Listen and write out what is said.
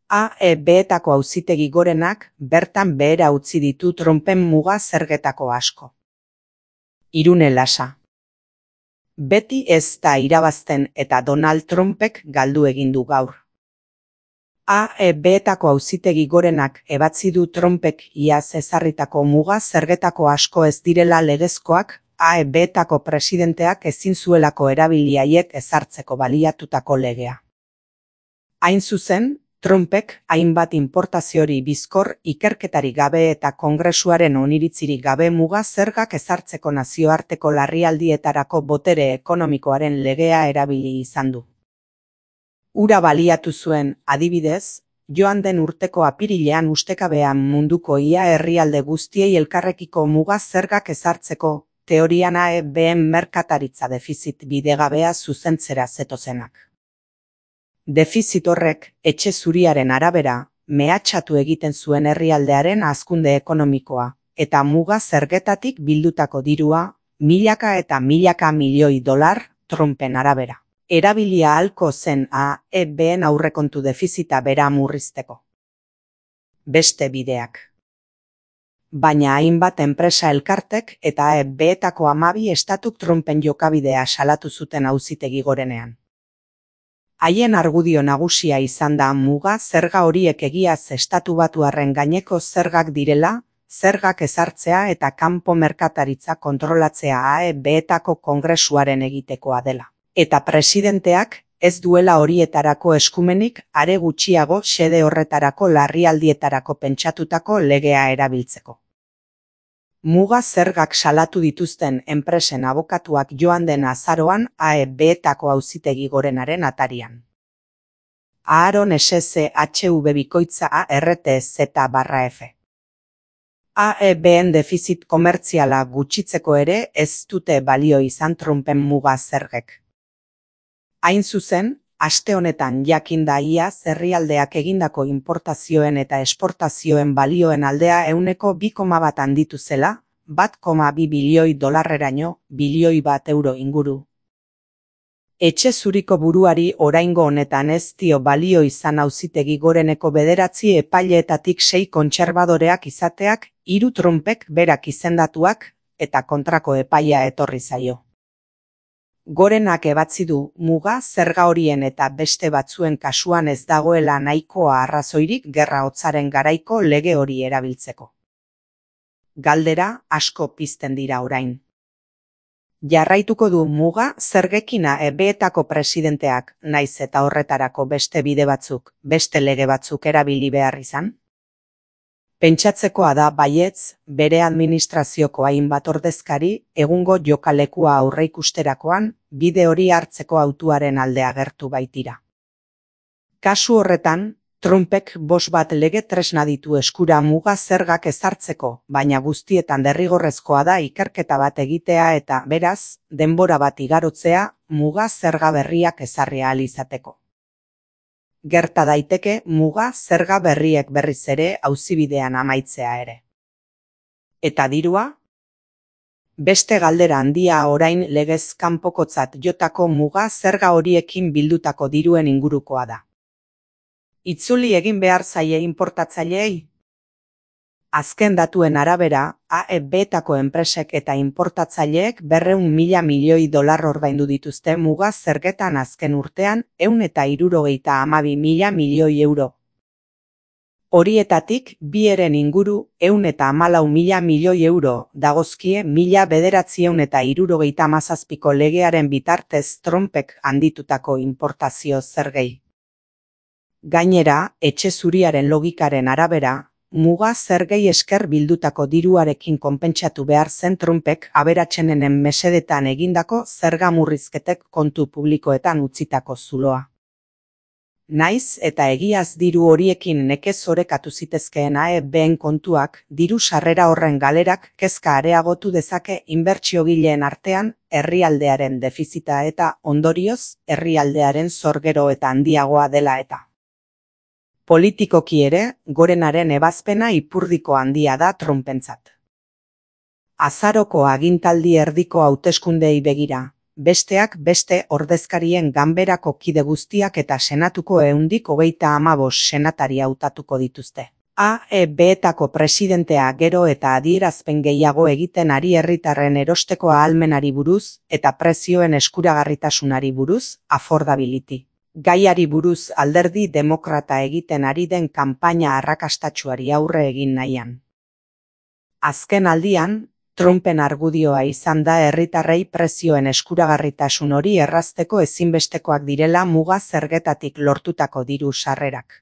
AEB-etako Auzitegi Gorenak bertan behera utzi ditu Trumpen muga zergetako asko. Irune Lasa. Beti ez da irabazten eta Donald Trumpek galdu egin du gaur. AEB-etako Auzitegi Gorenak ebatzi du Trumpek iaz ezarritako muga zergetako asko ez direla legezkoak, AEB-etako presidenteak ezin zuelako erabili haiek ezartzeko baliatutako legea. Hain zuzen, Trumpek hainbat inportaziori bizkor ikerketarik gabe eta Kongresuaren oniritzirik gabe muga zergak ezartzeko nazioarteko larrialdietarako botere ekonomikoaren legea erabili izan du. Hura baliatu zuen, adibidez, joan den urteko apirilean ustekabean munduko ia herrialde guztiei elkarrekiko muga zergak ezartzeko, teorian AEB-en merkataritza defizit bidegabea zuzentzera zetozenak. Defizit horrek, etxe zuriaren arabera, mehatxatu egiten zuen herrialdearen hazkunde ekonomikoa, eta muga zergetatik bildutako dirua, milaka eta milaka milioi dolar, Trumpen arabera. Erabilia ahalko zen AEB-en aurrekontu defizita bera murrizteko. Beste bideak. Baina hainbat enpresa elkartek eta AEB-etako 12 estatuk Trumpen jokabidea salatu zuten Auzitegi Gorenean. Haien argudio nagusia izan da muga zerga horiek egiaz estatu batuarren gaineko zergak direla, zergak ezartzea eta kanpo merkataritza kontrolatzea AEB-etako Kongresuaren egitekoa dela. Eta presidenteak ez duela horietarako eskumenik are gutxiago xede horretarako larrialdietarako pentsatutako legea erabiltzeko. Muga zergak salatu dituzten enpresen abokatuak joan den azaroan AEB-etako Auzitegi Gorenaren atarian. Aaron SCHV bikoitza ARTZ/F. AEB-en defizit komertziala gutxitzeko ere ez dute balio izan Trumpen muga zergek. Hain zuzen, aste honetan jakinda iaz herrialdeak egindako importazioen eta esportazioen balioen aldea 2,1 handitu zela, 1,2 bilioi dolarreraino, bilioi bat euro inguru. Etxe zuriko buruari oraingo honetan ez dio balio izan Auzitegi Goreneko 9 epaileetatik 6 kontserbadoreak izateak, 3 Trumpek berak izendatuak, eta kontrako epaia etorri zaio. Gorenak ebatzi du muga zerga horien eta beste batzuen kasuan ez dagoela nahikoa arrazoirik gerra hotzaren garaiko lege hori erabiltzeko. Galdera asko pizten dira orain. Jarraituko du muga zergekin AEB-etako presidenteak, naiz eta horretarako beste bide batzuk, beste lege batzuk erabili behar izan? Pentsatzekoa da baietz, bere administrazioko hainbat ordezkari egungo jokalekua aurreikusterakoan bide hori hartzeko hautuaren alde agertu baitira. Kasu horretan, Trumpek 5 lege tresna ditu eskura muga zergak ezartzeko, baina guztietan derrigorrezkoa da ikerketa bat egitea eta, beraz, denbora bat igarotzea muga zerga berriak ezarri ahal izateko. Gerta daiteke muga zerga berriek berriz ere auzibidean amaitzea ere. Eta dirua? Beste galdera handia orain legez kanpokotzat jotako muga zerga horiekin bildutako diruen ingurukoa da. Itzuli egin behar zaie inportatzaileei? Azken datuen arabera, AEB-etako enpresek eta inportatzaileek 200.000 milioi dolar ordaindu dituzte muga zergetan azken urtean 172.000 milioi euro. Horietatik, bieren inguru 114.000 milioi euro dagozkie 1977ko legearen bitartez Trumpek handitutako inportazio zergei. Gainera, etxe zuriaren logikaren arabera, muga zergei esker bildutako diruarekin konpentsatu behar zen Trumpek aberatsenen mesedetan egindako zerga murrizketek kontu publikoetan utzitako zuloa. Naiz eta egiaz diru horiekin nekez orekatu zitezkeen AEB-en kontuak, diru sarrera horren galerak kezka areagotu dezake inbertsiogileen artean herrialdearen defizita eta ondorioz herrialdearen zor gero eta handiagoa dela eta. Politikoki ere, Gorenaren ebazpena ipurdiko handia da Trumpentzat. Azaroko agintaldi erdiko hauteskundei begira, besteak beste ordezkarien ganberako kide guztiak eta senatuko 135 senatari hautatuko dituzte. AEB-etako presidentea gero eta adierazpen gehiago egiten ari herritarren erosteko ahalmenari buruz eta prezioen eskuragarritasunari buruz, affordability. Gaiari buruz alderdi demokrata egiten ari den kanpaina arrakastatsuari aurre egin nahian. Azken aldian, Trumpen argudioa izan da herritarrei prezioen eskuragarritasun hori errazteko ezinbestekoak direla muga zergetatik lortutako diru sarrerak.